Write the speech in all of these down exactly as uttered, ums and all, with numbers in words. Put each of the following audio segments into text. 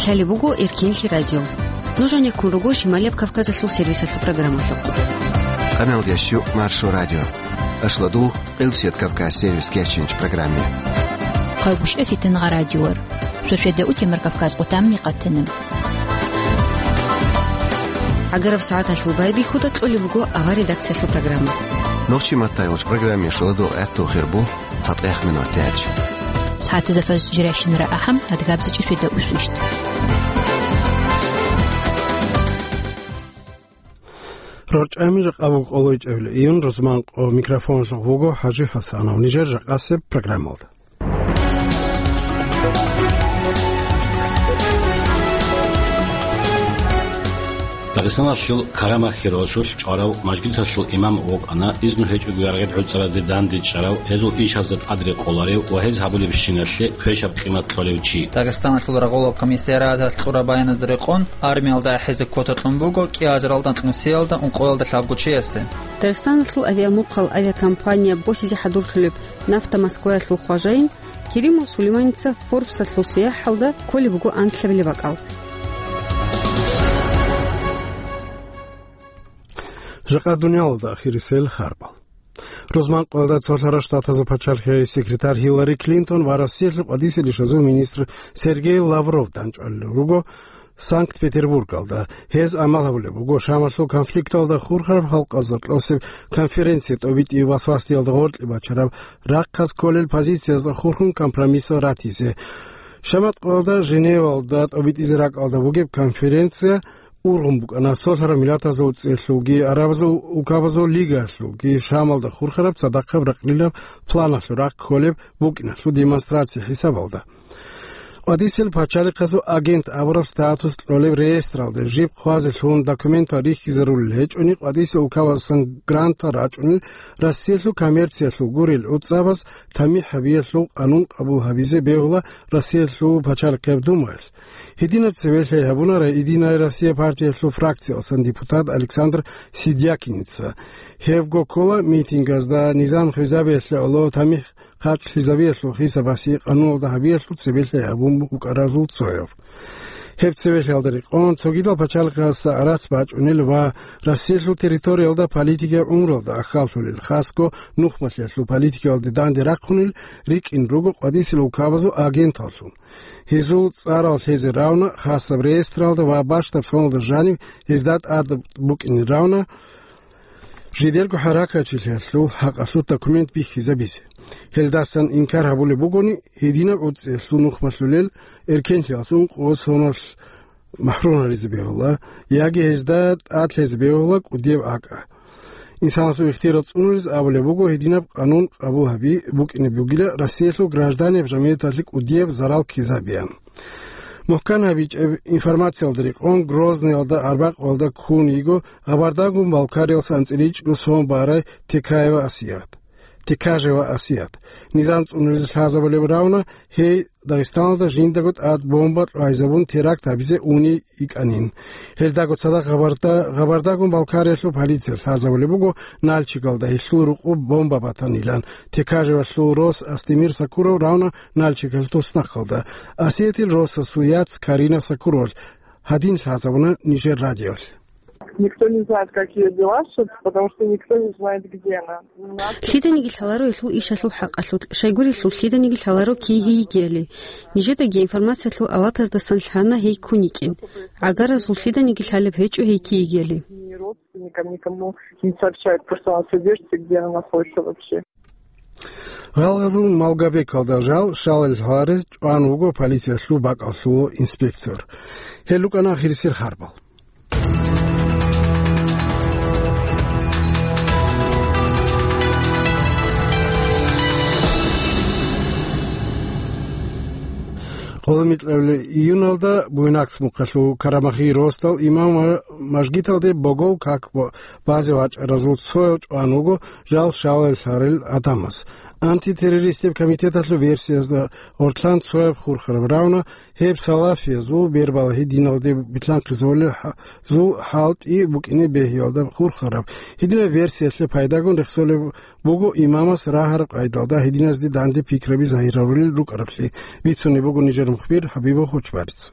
Гьале буго Эркенлъи радио. Нуж гьанеккун руго Шималияб Кавказалъул сервисалъул программалъухъ. Къаналдияс щу Маршо радио. Ашлодул Къилсият Кавказ сервис кечинч программе. Хъайгушев Фитнагъа радиор. Шошведа утемар Кавказ къутамни къатана. Агараб сагӀаталъул байбихьуда кьолеб буго ава редакциялъул программа. Нохчи маттайгъуч программе шуладул гӀатту хирбу. Цадгъех минут тяч. СагӀатазда фаз жирайщинара ахӀам, адгабзачӀи светда усвищт. РорчӀами жакъа буго къолойчӀебли июн, рузман къо микрофонлъухъ вуго ХӀажи ХӀасанов. Нижер жакъасеб программалда. Дагъистаналъул Карамахьи росулъ чӀварав мажгиталъул имам вукӀана, изну гьечӀого яргъи гӀуцӀаразде дандечӀарав, гьезул ишазда тӀад рекъоларев ва гьез гьабулебщиналъе квешаб къимат кьолев чи. Дагъистаналъул рагъулаб комиссариаталъ кьураб баяназда рекъон, армиялда ахӀизе квота кьун буго кӀиазаралда кьунсиялда ункъоялда лъабго чиясе. Дагъистаналъул авиамухъал авиакомпания босизе хӀадурлъулеб «Нафта Москваялъул» хважаин Керимов Сулейманица Форбсалъул сияхӀалда кколеб буго анлъабилеб бакӀал. Жакъа дуниялалда ахирисел харбал. Рузман къоялда цолъарав Штатазул пачалихъи секретарь Хиллари Клинтон ва Россиялъул къвадисел ишазул министр Сергей Лавров данчӀвалел руго Санкт-Петербургалда. Гьез амал гьабулеб буго Шамалъул конфликталда хурхараб халкъазда кьосеб конференция тӀобитӀи васвасиялда гъоркье бачараб рахъаз кколел позициязда хурхун компромиссал ратизе. Шамат къоялда Женевалда тӀобитӀизе ракӀалда бугеб конференция ургъун букӀана цолъарав миллатазул цӀехлъулги, арабазул улкабазул лигаялъулги Шамалда хурхараб цадахъаб ракълилаб планалъул рахъ кколеб букӀиналъул демонстрация хӀисабалда. Къвадисел пачалихъазул агент абураб статус кьолеб реестралде жиб хъвазе лъун документал рихьизарулел гьечӀони, къвадисел улкабаздасан грантал рачӀунел, Россиялъул коммерциялъул гурел гӀуцӀабаз тамихӀ гьабиялъул къанун къабул гьабизе бегьула Россиялъул пачалихъияб Думаялъ. Гьединаб цеве лъай гьабуна Единая Россия партиялъул фракциялъан депутат Александр Сидякиница. Гьебго ккола митингазда низам хвезабиялъе гӀоло тамихӀ хъарчӀлъизабиялъул хисабасе къануналда гьабиялъул цебе лъай гьабун букӀаразул цояв. Гьеб цеве лъаялда рекъон, цогидал пачалихъаздаса гӀарац бачӀунел ва Россиялъул территориялда политикиял гӀумруялда ахьаллъулел, хасго нухмалъиялъул политикаялде данде рахъунел рикӀкӀин руго къвадисел улкабазул агенталлъун. Гьезул цӀарал лъезе равна хасаб реестралда ва бащдаб соналда жанив гьезда тӀад букӀине равна жидерго хӀаракатчилъиялъул хӀакъалъулъ документ бихьизабизе. Гьелдасан инкар гьабулеб бугони, гьединаб гӀуцӀиялъул нухмалъулел эркенлъиялъун къосоналъ махӀрумаризе бегьула, яги гьезда тӀад лъезе бегьула кӀудияб акӀа. Инсанасул ихтияр цӀунулез абулеб буго, гьединаб къанун къабул гьаби букӀине бугила Россиялъул гражданиял жамгӀияталъе кӀудияб зарал ккезабеян. Мухкан гьабичӀеб информациялда рекъон, Грозныйалда арбякъалда ккун йиго Гъабардагун-Балкариялъ анцӀила ичӀго сон барай Текаева Асият. Текажева Асият. Низам цӀунулез лъазабулеб равна, гьей Дагъистаналда жиндаго тӀад бомба кьвайзабун теракт гьабизе уни йикӀанин. Гьелдаго цадахъ Гъабарда-, Гъабардагун-Балкариялъул полиция лъазабулеб буго Нальчигалда гьелъул рукъуб бомба батанилан, Текажевалъул рос Астемир Сакуров равна Нальчигалъ туснахъалда. Асиятил росасул яц Карина Сакуровалъ гьадин лъазабуна нижер радиоялъ. Никто не знает, как её дела, собственно, потому что никто не знает, где она. Лъиданиги лъаларо гьелъул ишалъул хӀакъалъулъ, щайгурелъул лъиданиги лъаларо кий гьей йигиали. Нижедаги информациялъул аватаздасан лъана гьей ккун йикӀин. ГӀагаразул лъиданиги лъалеб гьечӀо гьей кий йигиали. Ни родственникам, никому не сообщают, просто она содержится, где она находится вообще. Гъалгъазул Малгобекалда жал щалел гьарез чӀван вуго полициялъул бакӀалъулав инспектор. Гьел рукӀана ахирисел харбал. Къоло микьабилеб июналда Буйнакск мухъалъув Карамахи росдал имам ва мажгиталде богол как бо-, базе вачӀаразул цояв чӀван вуго жал щалел гьарел гӀадамаз. Антитеррористияб комитеталъул версиязда гъортлъан цояб хурхараб равна, гьеб салафиязул бербалагьи диналде битлъанхъизабулел хӀа-, зул хӀалтӀи букӀине бегьиялда хурхараб. Гьединаб версиялъе пайдагун рехсолеб буго имамас рагьараб къайдалда гьединазде данде пикраби загьирарулел рукӀараблъи, бицунеб буго нижер мухбир ХӀабибов Хочбарица.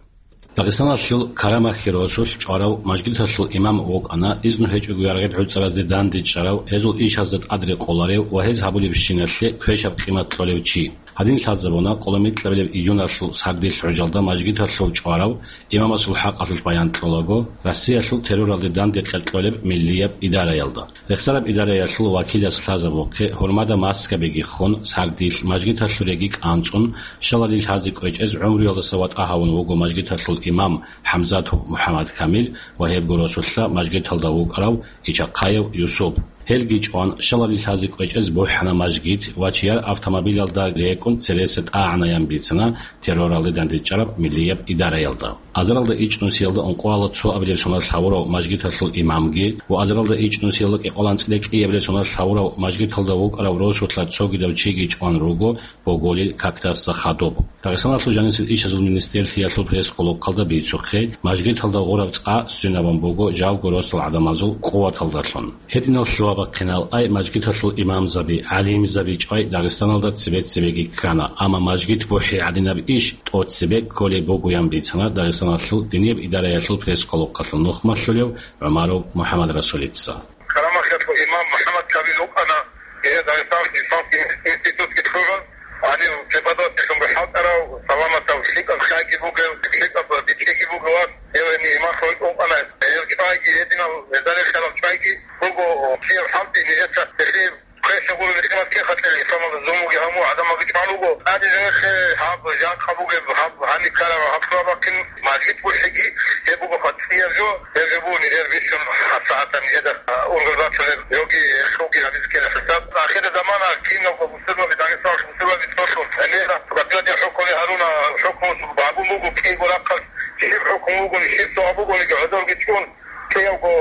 Дагъистаналъул Карамахьи росулъ чӀварав мажгиталъул имам вукӀана, изну гьечӀого яргъи гӀуцӀаразде дандечӀарав, гьезул ишазда тӀадрекъоларев ва гьез гьабулебщиналъе квешаб къимат кьолев чи. Гьадин лъазабуна къоло микьабилеб июналъул сардилъ гӀужалда мажгиталъул чӀварав имамасул хӀакъалъулъ баян кьолаго, Россиялъул терроралде данде кьер кьолеб миллияб идараялда. Рехсараб идараялъул вакилас лъазабухъе, гьурмада маскабиги хун, сардилъ мажгиталъуреги кӀанцӀун, щаладил лъази кӀвечӀез гӀумруялдаса ватӀа гьавун вуго мажгиталъул имам ХӀамзатов МухӀаммад Камил ва гьебго росулъа мажгиталда вукӀарав Ичахъаев Юсуп. Гьелги чӀван, щаладил лъази кӀвечӀез бухӀана мажгит ва чияр автомобилалда рекӀун цереса тӀагӀанаян бицана терроралде дандечӀараб миллияб идараялда. Азаралда ичӀнусиялда ункъоялда цоабилеб соналъ гьавурав мажгиталъул имамги ва азаралда ичӀнусиялда кӀикъоялда анцӀила кӀиабилеб соналъ гьавурав мажгиталда вукӀарав росулъа цогидав чиги чӀван руго боголил какдаса хадуб. Дагъистаналъул жанисел ишазул министрлъиялъул пресс-къулухъалда бицухъе, мажгиталда гъураб цӀа сценабун буго жалго росдал гӀадамазул къуваталдалъун. Гьединал лъугьа-бахъинал ай мажгиталъул имамзаби, гӀалимзаби чӀвай Дагъистаналда цебе-цебеги ккана, амма мажгит бухӀи гӀадинаб иш тӀоцебе кколеб бугоян бицана Дагъистаналъул динияб идараялъул пресс-къулухъалъул нухмалъулев ГӀумаров МухӀаммадрасулица. Карамахьалъул имам МухӀаммад Камил вукӀана, гьев Дагъистаналъул исламский институтги лъугӀун, гьанив преподавательлъун хӀалтӀарав, саламатав, лъикӀаб хъайги бугев, лъикӀаб бичӀчӀиги бугев вас, гьев гьениб имамлъун вукӀана. Гьев чӀвайги, гьединал гьезда рехарал чӀвайги буго, кияв хӀалтӀи нижеца гьелъие квеша гурони къимат кин хатӀила, исламалда зулмуги гьаму, гӀадамалги чӀван вуго. ТӀаде гьеб гьаб жакъа бугеб, гьаб гьаниб ккараб, гьаб лъугьа-бахъин мажгит бухӀиги, гьеб буго хатӀияб жо, гьеб жо буго нижер бищун гьабсагӀатаб нижеда ургъел бачунеб, йоги хьуги гьабизе ккела хӀисаб. Ахирзамана киналго бусурбаби, Дагъистаналъул бусурбаби цолъун гӀемераб батӀияб хӀукму гьаруна, хӀукму гьабун буго кӀиго рахъалъ, щиб хӀукму бугони, щиб цо бугониги гӀодорги чӀун, кӀиявго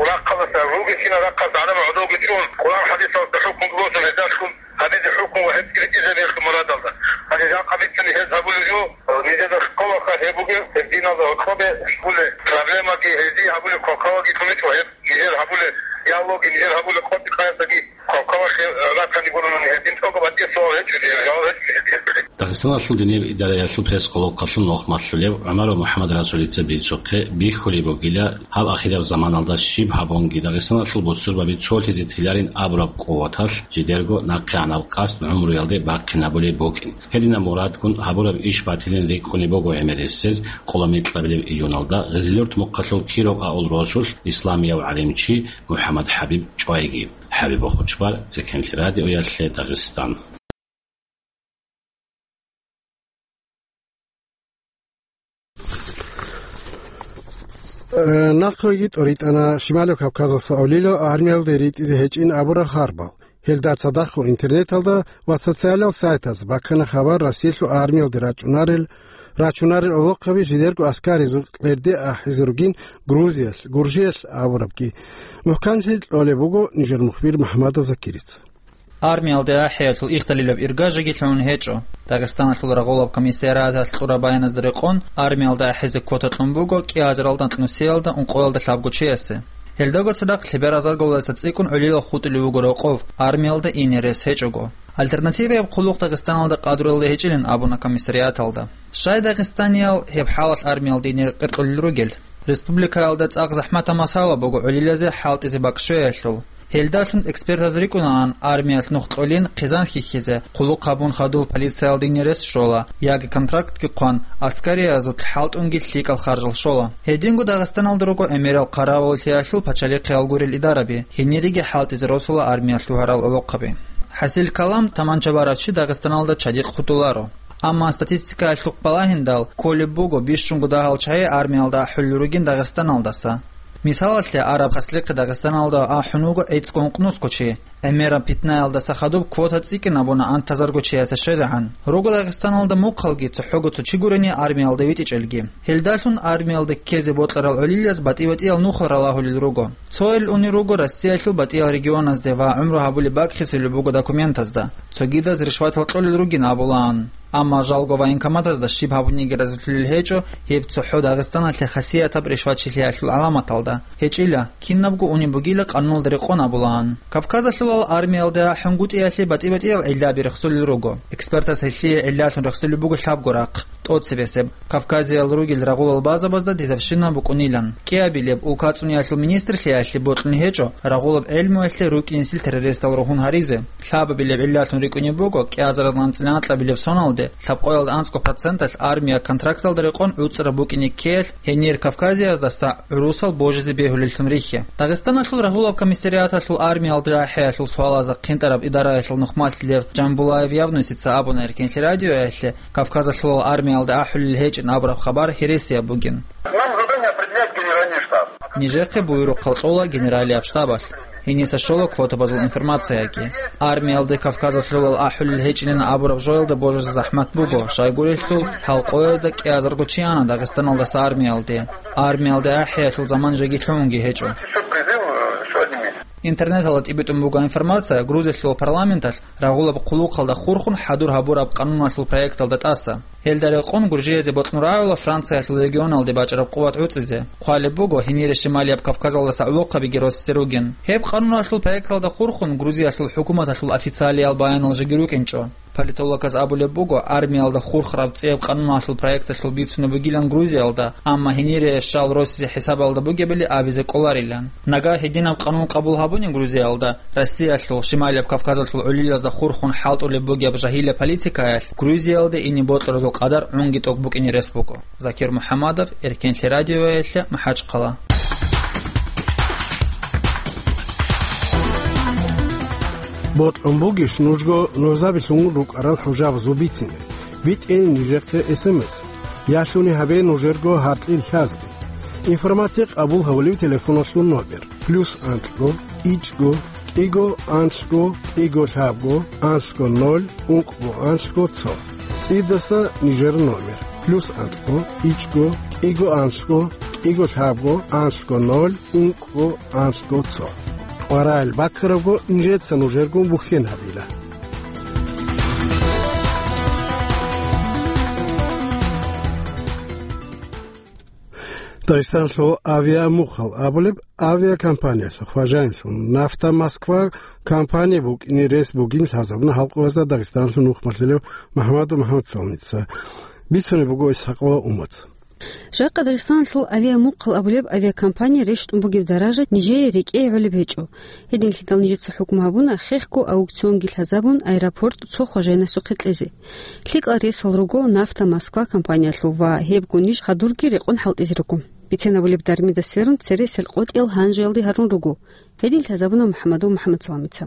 рахъалдаса, ругелщинал рахъалдаса гӀадамал гӀодовги чӀун, Къуръан-хӀадисалда хӀукму босун гьезда лъун гьабизе хӀукму ва гьеб цӀикӀкӀинаб мурадалда. Гьанже жакъа бицани гьез гьабулеб жо, нижеда хъвалаха гьеб бугеб, гьеб диналда гьоркьобе гьабулеб проблемаги, гьезие гьабулеб хъвалаги кумекӀ ва гьеб нижер гьабулеб диалоги, нижер гьабулеб къотӀи-къаясдаги хъвалаха ратани гурони гьедин тӀокӀаб батӀияб суал гьечӀо, жаваб гьечӀо. Дагъистаналъул динияб идараялъул пресс-къулухъалъул нухмалъулев ГӀумаров МухӀаммадрасулица бицухъе, бихьулеб бугила, гьаб ахираб заманалда щиб гьабунги Дагъистаналъул бусурбаби цолъизе теларин абураб къуваталъ жидерго нахъегӀанаб къасд гӀумруялде бахъинабулеб букӀин. Гьединаб мурадгун гьабураб иш батилин рикӀкӀунеб буго гӀемерисез къоло микьабилеб июналда Гъизилурт мухъалъул Киров авул росулъ исламияв гӀалимчи МухӀаммад ХӀабиб чӀвайги. ХӀабиб Бохучбар, Эркенлъи радиоялъе, Дагъистан. Э, нахъеги тӀоритӀана Шималияб Кавказалъул авлиял армиялде ритӀизе гьечӀин абурал харбал. Гьелда цадахъ интернеталда ва социалал сайтаз баккана хабар Россиялъул армиялде рачӀунарел, рачунарел гӀолохъаби жидерго аскаризул кьерде ахӀизе ругин Грузиялъ, Гуржиялъ абурабги. МухӀканлъи кьолеб буго нижер мухбир МухӀамадов Закирица. Армиялде ахӀиялъул ихталилаб иргажаги лъугӀун гьечӀо. Дагъистаналъул рагъулаб комиссариаталъ кьураб баяназда рекъон, армиялда ахӀизе квота кьун буго кӀиазаралда анкьнусиялда ункъоялда лъабго чиясе. Гьелдаго цадахъ лъебераз азаргалдаса цӀикӀкӀун гӀолилал хутӀулев вуго рокъов, армиялда ине рес гьечӀого. Альтернативаяб хъулухъ Дагъистаналда къадруялде гьечӀилин абуна комиссариаталда. Щай дагъистаниял гьеб хӀалалъ армиялда ине къеркьулел ругел? Республикаялда цӀакъ захӀматаб масъала буго гӀолилазе хӀалтӀизе бакӀ щвеялъул. Гьелдалъун экспертаз рикӀкӀунаан, армиялъ нух кьолин хъизан хьихьизе, хъулухъ гьабун хадув полициялда ине рес щола, яги контрактги хъван, аскариязулъ хӀалтӀунги лъикӀал харжал щола. Гьединго Дагъистаналда руго гӀемерал хъаравуллъиялъул пачалихъиял гурел идараби, гьениреги хӀалтӀизе росула армиялъ лъугьарал гӀолохъаби. ХӀасил калам, таманча барав чи Дагъистаналда чадихъ хутӀуларо. Амма статистикаялъухъ балагьиндал, кколеб буго бищунго дагьал чагӀи армиялда ахӀулел ругин Дагъистаналдаса. Мисалалъе, араб хаслихъе Дагъистаналда ахӀун вуго гӀицӀго-ункънусго чи. ГӀемераб питнаялдаса хадуб квота цӀикӀкӀинабуна антазарго чиясда щвезегӀан. Руго Дагъистаналда мухъалги цохӀого цо чи гурени армиялда витӀичӀелги. Гьелдалъун армиялда ккезе бокьарал гӀолилаз батӀи-батӀиял нухал ралагьулел руго. Цоял унел руго Россиялъул батӀиял регионазде ва гӀумру гьабулеб бакӀ хисулеб буго документазда. Цогидаз ришватал кьолел ругин абулаан. Амма жалго военкоматазда щиб гьабуниги разилъулел гьечӀо гьеб цохӀо Дагъистаналъе хасиятаб ришватчилъиялъул гӀаламаталда. ГьечӀила, кинабго унеб бугила къануналда рекъон абулаан. Кавказалъулал армиялда рахӀунгутӀиялъе батӀи-батӀиял гӀиллаби рехсулел руго. Экспертас гьелъие гӀиллалъун рехсулеб буго лъабго рахъ. тӀоцебесеб, Кавказиял ругел рагъулал базабазда дезавщина букӀунилан. КӀиабилеб улкацӀуниялъул министрлъиялъе бокьун гьечӀо рагъулаб гӀелмуялъе рукӀинесил террористал ругьун гьаризе. Лъабабилеб гӀиллалъун рикӀкӀунеб буго, кӀиазаралда анцӀила анкьабилеб соналде лъабкъоялда анцӀго проценталъ армия контракталда рекъон гӀуцӀраб букӀине ккеялъ, гьенир Кавказияздаса гӀурусал божизе бегьулеллъун рихье. Дагъистаналъул рагьулаб комиссариаталъул армиялда ахӀиялъул суалазда хъинтӀараб идараялъул нухмалъ Лев Джамбулаев Явнусица абуна Эркенлъи радиоялъе, Кавказалъулал армиялда ахӀулел гьечӀин абураб хабар гьересияб бугин. Нам задание определяет генеральный штаб. Нижехъе буюрухъал кьола генералияб штабалъ. Гьениса щола квотабазул информацияги. Армиялде Кавказалъулал ахӀулел гьечӀилин абураб жоялда божизе захӀмат буго, щайгурелъул, гьалкъоязда кӀиазарго чи ана Дагъистаналдаса армиялде. Армиялде ахӀиялъул заман жеги лъугьунги гьечӀо. Интернеталда тӀибитӀун буго информация Грузиялъул парламенталъ рагъулаб хъулухъалда хурхун хӀадур гьабураб къануналъул проекталда тӀаса. Гьелда рекъон гуржиязе бокьун рагӀула Франциялъул регионалде бачӀараб къуват гӀуцӀизе. Хъвалеб буго, гьенире Шималияб Кавказалдаса гӀолохъабиги росизе ругин. Гьеб къануналъул проекталда хурхун Грузиялъул хӀукуматалъул официалиял баянал жеги рукӀинчӀо. Политологаз абулеб буго, армиялда хурхараб цӀияб къануналъул проекталъул бицунеб бугилан Грузиялда, амма гьенире щал росизе хӀисабалда бугебали абизе кӀоларилан. Нагагь гьединаб къанун къабул гьабуни Грузиялда, Россиялъул, Шималияб Кавказалъул гӀолилазда хурхун хӀалтӀулеб бугеб жагьилаб политикаялъ Грузиялде ине бокьаразул къадар гӀунги тӀокӀ букӀине рес буго. Закир МухӀаммадов, Эркенлъи радиоялъе, МахӀачхъала. Бокьун бугищ нужго нужабилъун рукӀарал хӀужабазул бицине? БитӀе нижехъе эс эм эс. Ялъуни гьабе нужерго гьаркьил лъазби. Информация къабул гьавулев телефоналъул номер: плюс анлъго, ичӀго, кӀиго, анлъго, кӀиго, лъабго, анлъго, ноль, ункъго, анлъго, цо. ЦӀидаса нижер номер: плюс анлъго, ичӀго, кӀиго, анлъго, кӀиго, лъабго, анлъго, ноль, ункъго, анлъго, цо. Къварагьел баккарабго, нижеца нужергун бухьен гьабила. Дагъистанлъул авиамухъал абулеб авиакомпаниялъул хважаинлъун «Нафта Москва» компания букӀине рес бугин лъазабуна халкъалазда Дагъистанлъул нухмалъулев МухӀаммадов МухӀаммадсаламица. Бицунеб буго Исхакъова Умаца. Жакъа Дагъистанлъул авиамухъал абулеб авиакомпания рещтӀун бугеб даража нижее рекӀее гӀолеб гьечӀо. Гьединлъидал нижеца хӀукму гьабуна хехго аукционги лъазабун аэропорт цо хважаинасухъе кьезе. ЛъикӀал ресал руго «Нафта Москва» компаниялъул ва гьебго ниж хадурги рекъон хӀалтӀизе руго. Бицен абулеб дармида сверун цере селкъотӀиял гьанжеялде гьарун руго. Гьедин лъазабуна МухӀаммадов МухӀаммадсаламица.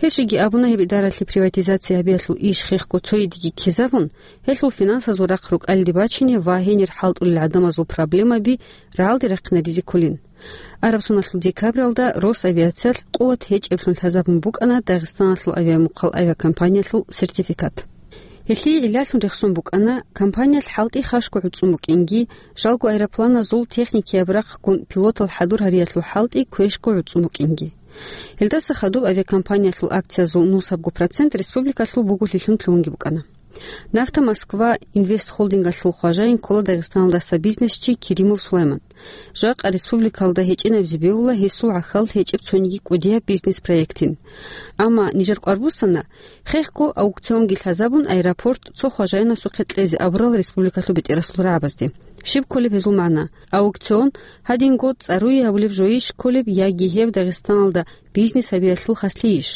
Гьес жеги абуна, гьеб идаралъе приватизация гьабиялъул иш хехго цойидеги ккезабун, гьелъул финансазул рахъ рукӀалде бачине ва гьенир хӀалтӀулел гӀадамазул проблемаби рагӀалде рахъинаризе кколин. Араб соналъул декабралда Росавиациялъ къуват гьечӀеблъун лъазабун букӀана Дагъистаналъул авиамухъал авиакомпаниялъул сертификат. Гьелъие гӀиллалъун рехсон букӀана, компаниялъ хӀалтӀи хашго гӀуцӀун букӀинги, жалго аэропланазул техникияб рахъгун пилотал хӀадур гьариялъул хӀалтӀи квешго гӀуцӀун букӀинги. Гьелдаса хадуб авиакомпаниялъул акциязул нусабго процент республикалъул буголъилъун лъугьунги букӀана. «Нафта Москва» инвестхолдингалъул хважаин ккола Дагъистаналдаса бизнесчи Керимов Сулайман. Жакъа республикалда гьечӀинабизе бегьула гьесул гӀахьал гьечӀеб цониги кӀудияб бизнес-проектин. Амма нижер кӀвар буссана, хехго аукционги лъазабун аэропорт цо хважаинасухъе кьезе абурал республикалъул бетӀерасул рагӀабазде. Щиб кколеб гьезул магӀна? Аукцион, гьадинго цӀаруе гьабулеб жойищ кколеб яги гьеб Дагъистаналда бизнес гьабиялъул хаслъийищ?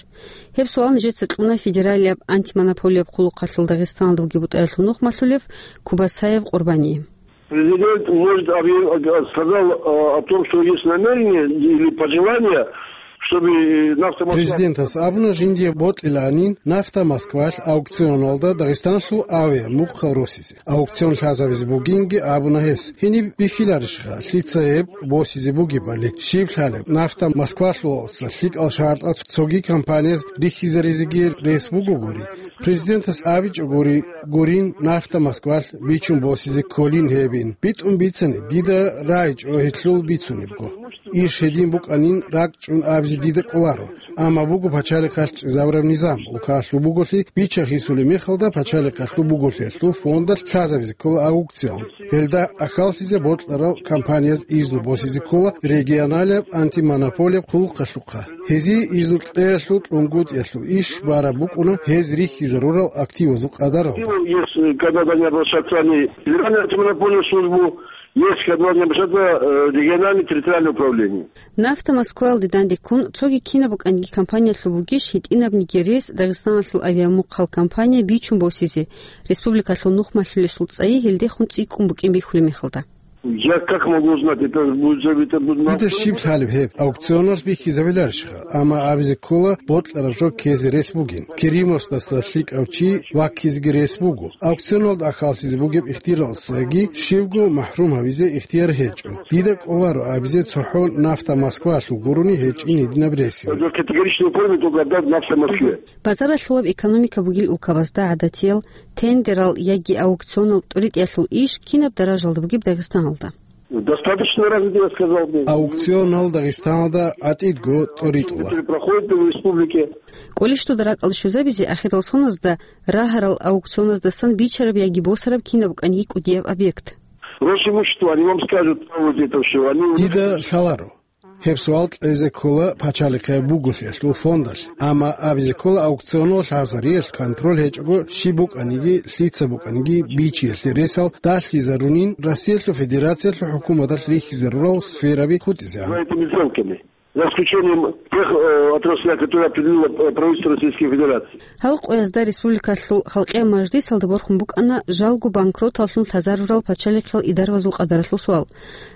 Гьеб суал нижеца кьуна федералияб антимонополияб хъулухъалъул Дагъистаналда бугеб бутӀаялъул нухмалъулев Кубасаев Къурбание. Президент может объяв-, сказал, э, о том, что есть намерение или пожелание, чтобы «Нафта Москва» Президентас абуна, жиндие бокьиланин «Нафта Москвалъ» аукционалда Дагъистанлъул авиа мухъал росизе. Аукцион лъазабизе бугинги абуна гьес. Гьениб бихьиларищха, лъица гьеб босизе бугебали? Щиб лъалеб, «Нафта Москвалъуласа» лъикӀал шартӀал цоги компанияз рихьизаризеги рес бугогури? Президентас абичӀогури гурин, «Нафта Москвалъ» бичун босизе кколин гьебин. БитӀун бицани, дида рагӀичӀо гьелъул бицунебго. Иш гьедин букӀанин ракӀчӀун абизе дида кӀоларо. Амма буго пачалихъалъ чӀезабураб низам, улкалъул буголъи бича-хисулеб мехалда пачалихъалъул буголъиялъул фондалъ лъазабизе ккола аукцион. Гьелда ахьаллъизе бокьарал компанияз изну босизе ккола регионалияб антимонополияб хъулухъалъухъа. Гьезие изну кьеялъул кьунгутӀиялъул иш бараб букӀуна гьез рихьизарурал активазул къадаралда. Есть, э, когда они обращаются, они Федеральную антимонопольную службу, есть, когда они обращаются, э, региональное территориальное управление. Нафта Москваялде дандеккун, цоги кинаб букӀаниги компаниялъул бугищ гьитӀинабниги рес Дагъистаналъул авиамухъал компания бичун босизе, республикалъул нух малъулесул цӀайи гьелдехун цӀикӀкӀун букӀин бихьулеб мехалда? Я как могу узнать? Это будет, это будет... Дида щиб лъалеб гьеб? Аукционалъ бихьизабиларищха? Амма абизе ккола, бокьараб жо ккезе рес бугин. Керимовсдаса лъикӀав чи ваккизеги рес буго. Аукционалда ахьаллъизе бугеб ихтияралдасаги щивго махӀрум гьавизе ихтияр гьечӀо. Дида кӀоларо абизе цохӀо Нафта Москваялъул гурони гьечӀин гьединаб ресине. Категорично помню, только отдать Нафта Москве. Базаралъулаб экономика бугил улкабазда гӀадатиял, тендерал яги аукционал тӀоритӀиялъул иш кинаб даражалда бугеб Дагъистаналда? Достаточно развито, я сказал бы. Аукционал Дагъистаналда гӀатӀидго тӀоритӀула. Которые проходят в республике. КӀолищ дуда ракӀалде щвезабизе ахирал соназда рагьарал аукционаздасан бичараб яги босараб кинаб букӀаниги кӀудияб объект? Росимущество, они вам скажут, вот это всё. Они... Дида лъаларо. Гьеб суал кьезе ккола пачалихъе буголъиялъул фондалъ, амма абизе ккола аукционалъ лъазариялъ контроль гьечӀого щиб букӀаниги, лъица букӀаниги бичиялъе ресал далъизарунин Россиялъул Федерациялъул хӀукуматалъ рихьизарурал сфераби хутӀизегӀан. За этими сделками. За исключением тех, э, отраслей, которые определило, э, правительство Российской Федерации. Гьал къоязда республикалъул халкъиял мажлисалда борхун букӀана жалго банкроталлъун лъазарурал пачалихъал идаравазул къадаралъул суал.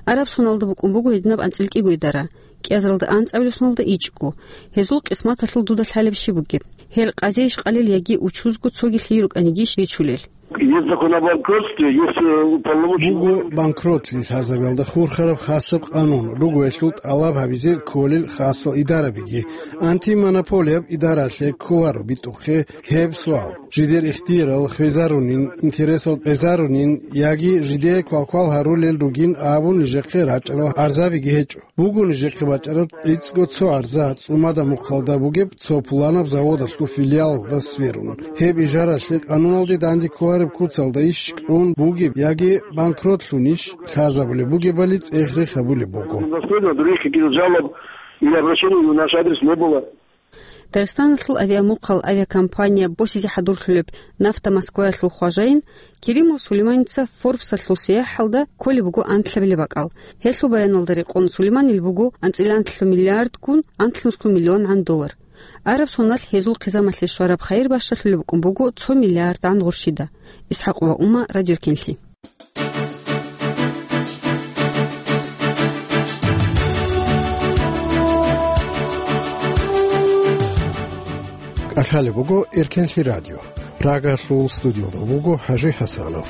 Араб соналда букӀун буго гьединаб анцӀила кӀиго идара, кӀиазаралда анцӀабилеб соналда ичӀго. Гьезул къисматалъул дуда лъалеб щиб бугеб? Гьел къазейищ къалел яги учузго цогилъи рукӀанигищ ричулел? Есть закон о банкротстве, есть, э, уполномоченный... Буго банкротлъи лъазабиялда хурхараб хасаб къанун, руго гьелъул тӀалаб гьабизе кколел хасал идарабиги. Антимонополияб идаралъе кколаро битӀухъе гьеб суал. Жидер ихтиярал хвезарунин, интересал къезарунин яги жидее квалквал гьарулел ругин абун нижехъе рачӀарал гӀарзабиги гьечӀо. Буго нижехъе бачӀараб кӀицӀго цо гӀарза, ЦӀумада мухъалда бугеб цо пуланаб заводалъул филиалалда сверун. Гьеб ижаралъе къануналде данде кколареб куцалда иш кьун бугеб яги банкротлъунищ лъазабулеб бугебали цӀех-рех гьабулеб буго. Последнего других каких-то жалоб или обращений на наш адрес не было. Дагъистаналъул авиамухъал авиакомпания босизе хӀадурлъулеб «Нафта Москваялъул» хважаин Керимов Сулейманица Форбсалъул сияхӀалда кколеб буго анлъабилеб бакӀал. Гьелъул баяналда рекъон Сулейманил буго анцӀила анлъго миллиардгун анлънусго миллионгӀан доллар. Араб соналъ гьезул хъизамалъе щвараб хайир бащалъулеб букӀун буго цо миллиардгӀан гъурщида. ИсхӀакъова Ума, Радио Эркенлъи. КӀалъалеб буго Эркенлъи радио. Прагалъул студиялда вуго ХӀажи ХӀасанов.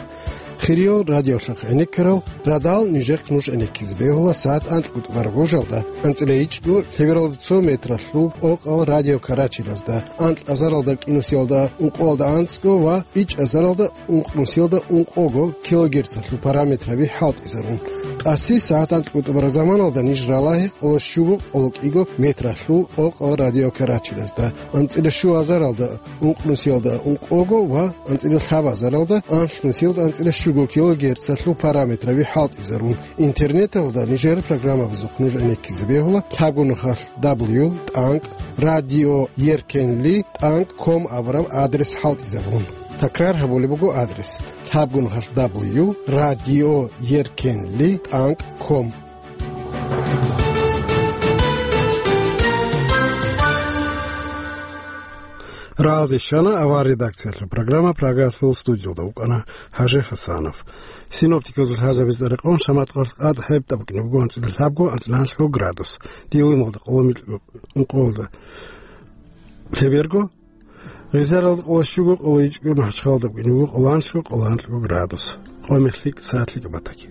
Хириял радиолъухъ гӀенеккарал радал нижехъ нуж гӀенеккизе бегьула сагӀат анкьго тӀубараб гъужалда, анцӀила ичӀго лъебералда цо метралъул къокъал радио карачелазда, анкь азаралда кӀинусиялда ункъоялда анцӀго ва ичӀ азаралда ункънусиялда ункъого килогерцалъул параметраби хӀалтӀизарун. Къаси сагӀат анкьго тӀубараб заманалда ниж ралагье къоло щуго къоло кӀиго метралъул къокъал радио карачелазда, анцӀила щуазаралда ункънусиялда ункъого ва анцӀила лъабазаралда анлънусиялда анцӀила щуго килогерцалъул параметраби хӀалтӀизарун. Интернеталда нижер программабазухъ нуж гӀенеккизе бегьула лъабго нухалъ дабл ю тӀанкӀ радио еркенли тӀанкӀ ком абураб адрес хӀалтӀизабун. Такрар гьабулеб буго адрес: лъабго нухалъ дабл ю радио еркенли тӀанкӀ ком. Рагъалде щвана авар редакциялъул программа, Прагалъул студиялда вукӀана ХӀажи ХӀасанов. Синоптикабазул лъазабизе рекъон шамат къалъ къад хӀеб тӀабукӀине буго анцӀила лъабго, анцӀила гьанлъго градус. Дилималда къоло микьго, ункъоялда лъеберго, Гъизаралда къоло щуго, къоло ичӀго, МахӀачхъалалда букӀине буго къоло анлъго, къоло анлъго градус. Къо мехлъи сагӀатлъи батаги.